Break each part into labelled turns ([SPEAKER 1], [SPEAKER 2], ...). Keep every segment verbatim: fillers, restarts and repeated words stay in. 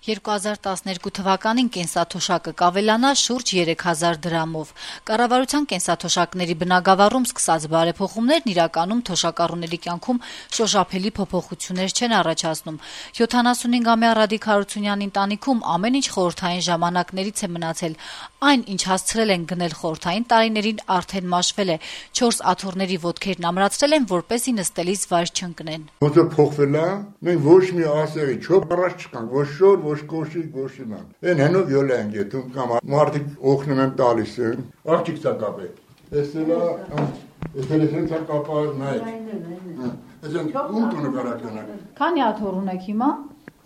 [SPEAKER 1] երկու հազար տասներկու թվականին կենսաթոշակը կավելանա շուրջ երեք հազար դրամով։ Կառավարության կենսաթոշակների բնագավառում սկսած բարեփոխումներն իրականում թոշակառուների կյանքում շոշափելի փոփոխություններ չեն առաջացնում։ յոթանասունհինգամյա Ռադիկ Հարությունյանի ընտանիքում ամեն ինչ խորհրդային ժամանակներից է մնացել։ Այն, ինչ հասցրել են գնել խորհրդային տարիներին, արդեն մաշվել է։ Չորս աթոռների ոտքերն ամրացրել են, որպեսզի նստելիս վայր չընկնեն։
[SPEAKER 2] Ոնց է փոխվել է, մենք ոչ մի ասեղի չոք առաջ չկանք, ոչ շոր, ոչ կոշի, ոչ իման։ Այն հենով յոլա ենք եթում կամ մարդիկ օգնում են տալիս են, աղջիկ ցա կապե։ Էսելա, էսել է ցա կապար նայ։ Էսեն ում տունը կարակնակ։
[SPEAKER 1] Քանի աթոռ ունեք հիմա։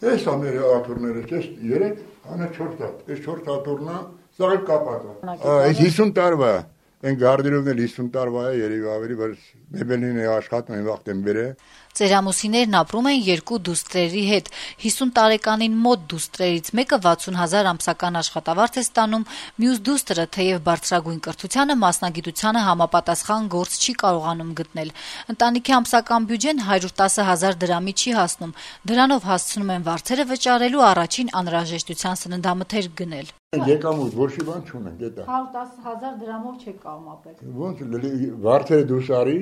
[SPEAKER 2] Էս ամերը աթոռները, էս երեք, անա չորս հատ։ Էս չորս աթոռնա, սա էլ կապած է։ Այս հիսուն տարվա, այն գարդերովն էլ հիսուն տարվա է, երևի ավելի, բայց մեբելին է աշխատում են վաղտեն բերե։
[SPEAKER 1] Ծերամուսիներն ապրում են երկու դուստրերի հետ։ հիսուն տարեկանին մոտ դուստրերից մեկը վաթսուն հազար ամսական աշխատավարձ է ստանում, մյուս դուստրը, թեև բարձրագույն կրթությանը, մասնագիտությանը համապատասխան գործ չի կարողանում գտնել։ Ընտանիքի ամսական բյուջեն հարյուր տասը հազար դրամի չի հասնում։ Դրանով հասցնում են վարձերը վճարելու, առաջին անհրաժեշտության սննդամթերք գնել։
[SPEAKER 2] Եկամուտ ոչ մի բան չունենք, դա։
[SPEAKER 1] հարյուր տասը հազար դրամով չեք կարող ապրել։
[SPEAKER 2] Ոնց վարձերը դուրս արի,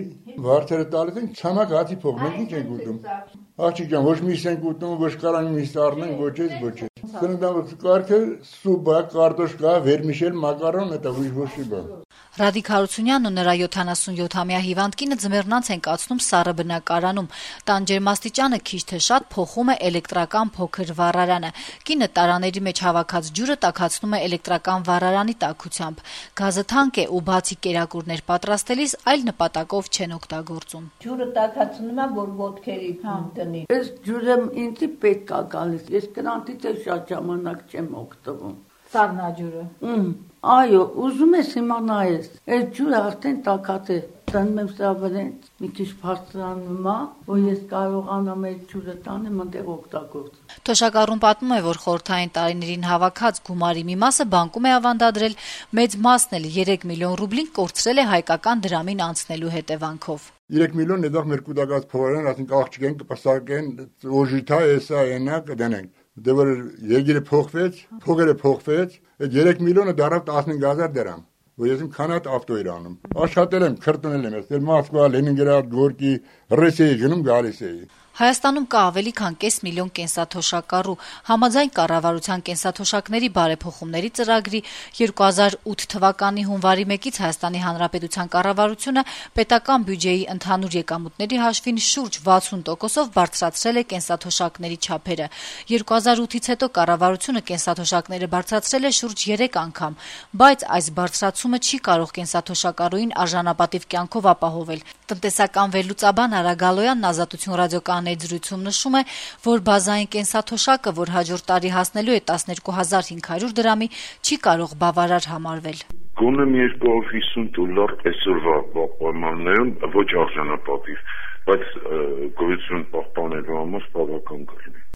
[SPEAKER 2] վարձերը տալիս են ցամաք հացի փող, մենք ինչ ենք ուտում։ Աղջիկ ջան, ոչ միս ենք ուտում, ոչ կարան միս առնենք, ոչ էս, ոչ էս։ Սննդամթերքը կարգը սուպա, կարտոշկա, վերմիշել, մակարոն, դա ոչ մի բան։
[SPEAKER 1] Ռադիկ Հարությունյանն ու նրա յոթանասունյոթամյա հիվանդ կինը ձմեռնանց են կացնում սառը բնակարանում։ Տան ջերմաստիճանը քիչ թե շատ փոխում է էլեկտրական փոքր վառարանը։ Կինը տարաների մեջ հավաքած ջուրը տաքացնում է էլեկտրական վառարանի տաքությամբ։ Գազը թանկ է ու բացի կերակուրներ պատրաստելիս այլ նպատակով չեն օգտագործում։
[SPEAKER 3] Ջուրը տաքացնում եմ, որ ոտքերի տնի։ Այս ջուրը ինձ պետք է գալիս։ Ես կրանտից շատ ժամանակ չեմ օգտվում։
[SPEAKER 1] Սառնաջուրը։
[SPEAKER 3] Այո, ուզում ես իմանայես, այս ջուրը արդեն տաքած է, տանում եմ սրա վրան, մի քիչ բարձրանում է, որ ես կարողանամ այս ջուրը տանեմ այնտեղ օգտագործել։
[SPEAKER 1] Թոշակառուն պատմում է, որ խորհրդային տարիներին հավաքած գումարի մի մասը բանկում է ավանդադրել, մեծ մասն էլ երեք միլիոն ռուբլին կորցրել է հայկական դրամին անցնելու հետևանքով։
[SPEAKER 2] երեք միլիոն դեռ մեր կուտակած փողերն, ասենք աղջիկ են կպսակեն, օժիթա էսա այնա կդնենք։ Դե որ եգիրը փոխվեց, փողերը փոխվեց, այդ երեք միլիոնը դարավ տասնհինգ հազար դրամ, որ ես իմ քանատ ավտո էր անում։ Աշխատել եմ, քրտնել եմ, ես Մոսկվա, Լենինգրադ, Գորկի, Ռուսիայի գնում գալիս էի։
[SPEAKER 1] Հայաստանում կա ավելի քան կես միլիոն կենսաթոշակառու։ Համաձայն կառավարության կենսաթոշակների բարեփոխումների ծրագրի երկու հազար ութ թվականի հունվարի մեկից Հայաստանի Հանրապետության կառավարությունը պետական բյուջեի ընդհանուր եկամուտների հաշվին շուրջ վաթսուն տոկոսով բարձրացրել է կենսաթոշակների չափերը։ երկու հազար ութից հետո կառավարությունը կենսաթոշակները բարձրացրել է շուրջ երեք անգամ, բայց այս բարձրացումը չի կարող կենսաթոշակառուին արժանապատիվ կյանքով ապահովել։ Տնտեսական վերլուծաբան Արա Գալոյանն Ազատություն ռադիոկայանի զրույցում նշում է, որ բազային կենսաթոշակը, որ հաջորդ տարի հասնելու է տասներկու հազար հինգ հարյուր դրամի, չի կարող բավարար համարվել։
[SPEAKER 4] Գոնե մի երկու հիսուն դոլար այսօրվա պայմաններում ոչ արժանապատիվ, բայց գոյություն պահպանելու համար բավական կլինի։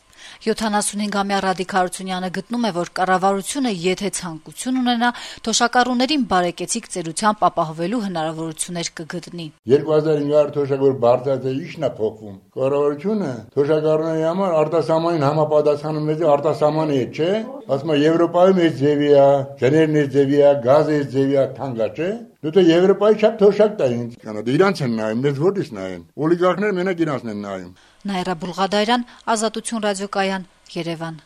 [SPEAKER 1] յոթանասունհինգամյա Ռադիկ Հարությունյանը գտնում է, որ կառավարությունը, եթե ցանկություն ունենա, թոշակառուներին բարեկեցիկ ծերությամբ ապահովելու հնարավորություններ կգտնի։
[SPEAKER 2] երկու հազար հինգ հարյուր թոշակ որ բարձրացել է, ի՞նչն է փոխվում։ Կառավարությունը թոշակառուների համար արտասահմանին համապատասխանում է, արտասահմանի է, չէ՞։ Ասում է Եվրոպայում էս ձևի է, գներն էս ձևի է, գազը էս ձևի է, թանկա, չէ՞։ Դու դե Եվրոպայի չափ թոշակ տա ինձ։ Կանա դե իրանց են նայում, մեզ ո՞րից նայեն։ Օլիգարխները մենակ իրանցն են նայում։
[SPEAKER 1] Նաիրա Բուլղադարյան, Ազատություն ռադիոկայան, Երևան։